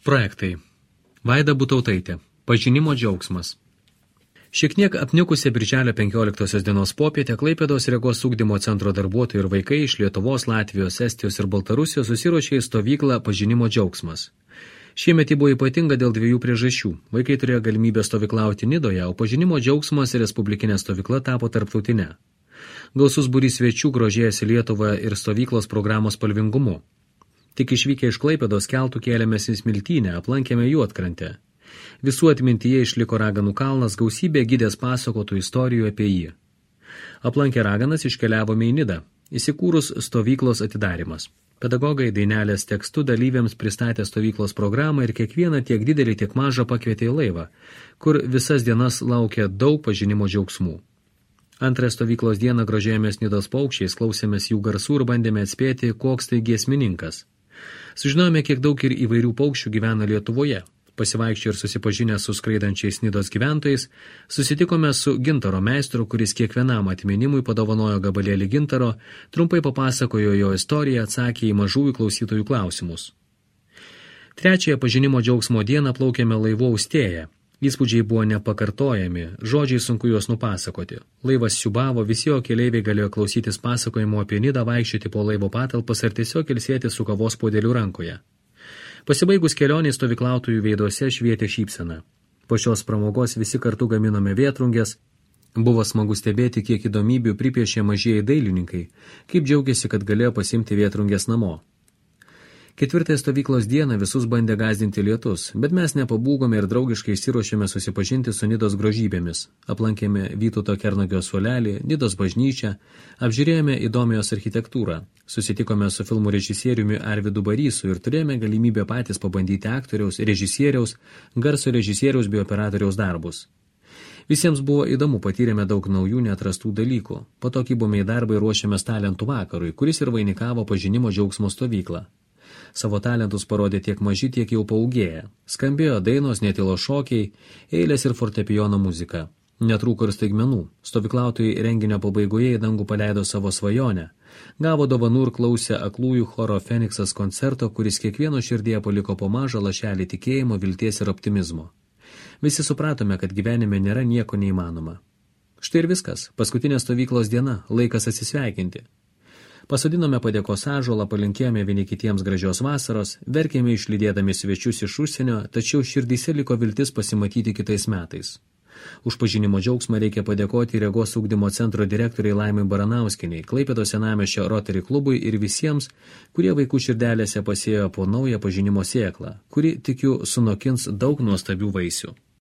Projektai. Vaida Butautaitė. Pažinimo džiaugsmas. Šiek tiek apniukusią birželio 15 dienos popietę Klaipėdos regos ugdymo centro darbuotojai ir vaikai iš Lietuvos, Latvijos, Estijos ir Baltarusijos susiruošė į stovyklą Pažinimo džiaugsmas. Šiemet ji buvo ypatinga dėl dviejų priežasčių. Vaikai turėjo galimybę stovyklauti Nidoje, o Pažinimo džiaugsmas ir respublikinė stovykla tapo tarptautinė. Gausus būrys svečių grožėjasi Lietuvą ir stovyklos programos spalvingumu. Tik išvykę iš Klaipėdos keltų kėlėmės į Smiltynę, aplankėme Juodkrantę. Visų atmintyje išliko Raganų kalnas, gausybė gidės pasakotų istorijų apie jį. Aplankę Raganas iškeliavome į Nidą, įsikūrus stovyklos atidarimas. Pedagogai dainelės tekstu dalyviams pristatė stovyklos programą ir kiekvieną tiek didelį, tiek mažą pakvietė į laivą, kur visas dienas laukia daug pažinimo džiaugsmų. Antrąją stovyklos dieną grožėjomės Nidos paukščiais, klausėmės jų garsų ir bandėme atspėti, koks tai giesmininkas. Sužinojome, kiek daug ir įvairių paukščių gyvena Lietuvoje. Pasivaikščioję ir susipažinę su skraidančiais Nidos gyventojais, susitikome su gintaro meistru, kuris kiekvienam atminimui padovanojo gabalėlį gintaro, trumpai papasakojo jo istoriją, atsakė į mažųjų klausytojų klausimus. Trečiąją pažinimo džiaugsmo dieną plaukėme laivu Austėja. Įspūdžiai buvo nepakartojami, žodžiai sunku juos nupasakoti. Laivas siubavo, visi jo keleiviai galėjo klausytis pasakojimo apie Nidą, vaikščioti po laivo patalpas ar tiesiog ilsėti su kavos puodeliu rankoje. Pasibaigus kelionei stovyklautojų veiduose švietė šypsena. Po šios pramogos visi kartu gaminome vėtrungės. Buvo smagu stebėti, kiek įdomybių pripiešė mažieji dailininkai, kaip džiaugiasi, kad galėjo pasimti vėtrungės namo. Ketvirtąją stovyklos dieną visus bandė gąsdinti lietus, bet mes nepabūgome ir draugiškai išsiruošėme susipažinti su Nidos grožybėmis. Aplankėme Vytauto Kernagio suolelį, Nidos bažnyčią, apžiūrėjome įdomijos architektūrą, susitikome su filmų režisieriumi Arvydu Barysu ir turėjome galimybę patys pabandyti aktoriaus, režisieriaus, garso režisieriaus bei operatoriaus darbus. Visiems buvo įdomu, patyrėme daug naujų neatrastų dalykų. Po to kibome į darbą ir ruošėmės talentų vakarui, kuris ir vainikavo pažinimo džiaugsmo stovyklą. Savo talentus parodė tiek maži, tiek jau paūgėję. Skambėjo dainos, netilo šokiai, eilės ir fortepijono muzika. Netrūko ir staigmenų. Stovyklautojai renginio pabaigoje į dangų paleido savo svajonę. Gavo dovanų ir klausė aklųjų choro Feniksas koncerto, kuris kiekvieno širdėje paliko po mažą lašelį tikėjimo, vilties ir optimizmo. Visi supratome, kad gyvenime nėra nieko neįmanoma. Štai ir viskas. Paskutinė stovyklos diena. Laikas atsisveikinti. Pasodinome padėkos ąžuolą, palinkėjome vieni kitiems gražios vasaros, verkėme išlydėdami svečius iš užsienio, tačiau širdyse liko viltis pasimatyti kitais metais. Už pažinimo džiaugsmą reikia padėkoti regos ugdymo centro direktoriai Laimai Baranauskienei, Klaipėdos senamiesčio Rotary klubui ir visiems, kurie vaikų širdelėse pasėjo po naują pažinimo sėklą, kuri, tikiu, sunokins daug nuostabių vaisių.